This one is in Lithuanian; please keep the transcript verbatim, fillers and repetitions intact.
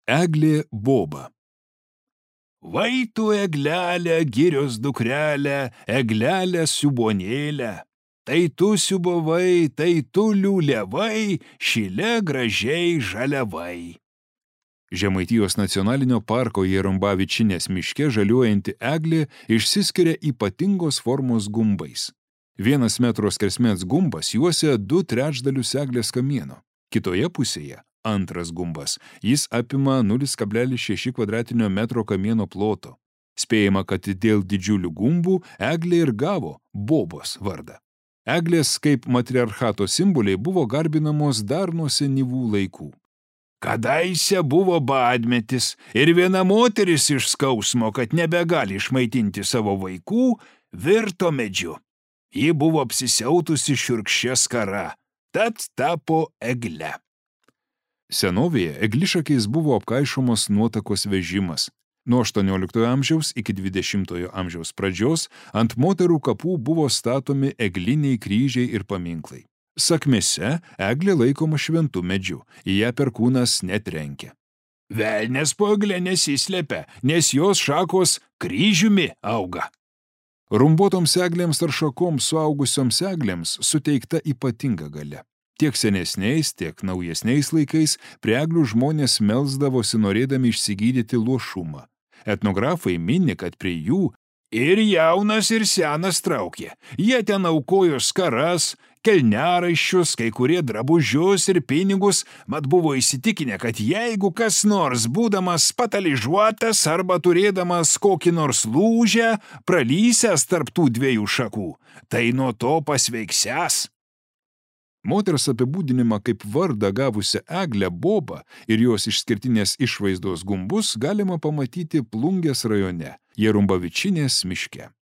Eglė boba. Vai tu eglelę, girios dukrelę, eglelę siubonėlę. Tai tu siubavai, tai tu liuliavai, šile gražiai žaliavai. Žemaitijos nacionalinio parko Jerumbavičinės miške žaliuojanti eglė išsiskiria ypatingos formos gumbais. Vienas metro skersmens gumbas juosia du trečdalius eglės kamieno. Kitoje pusėje antras gumbas. Jis apima nulis kablelis šeši kvadratinio metro kamieno ploto. Spėjama, kad dėl didžiulių gumbų eglė ir gavo bobos vardą. Eglės kaip matriarchato simboliai buvo garbinamos dar nuo senyvų laikų. Kadaise buvo badmetis ir viena moteris iš skausmo, kad nebegali išmaitinti savo vaikų, virto medžiu. Ji buvo apsisiautusi šiurkščia skara, tad tapo egle. Senovėje eglišakiais buvo apkaišomos nuotakos vežimas. Nuo aštuonioliktojo amžiaus iki dvidešimtojo amžiaus pradžios ant moterų kapų buvo statomi egliniai kryžiai ir paminklai. Sakmėse eglė laikoma šventu medžiu, į ją perkūnas netrenkia. Velnias po egle nesislepia, nes jos šakos kryžiumi auga. Rumbuotoms eglėms ar šakoms suaugusioms eglėms suteikta ypatinga galia. Tiek senesniais, tiek naujesniais laikais prie eglių žmonės melsdavosi norėdami išsigydyti luošumą. Etnografai mini, kad prie jų ir jaunas, ir senas traukė. Jie ten aukojo skaras, kelniaraiščius, kai kurie drabužius ir pinigus, mat buvo įsitikinę, kad jeigu kas nors, būdamas pataližuotas arba turėdamas kokį nors lūžę, pralysęs tarp tų dviejų šakų, tai nuo to pasveiksęs. Moters apibūdinimą kaip vardą gavusią eglę bobą ir jos išskirtinės išvaizdos gumbus galima pamatyti Plungės rajone, Jerumbavičinės miške.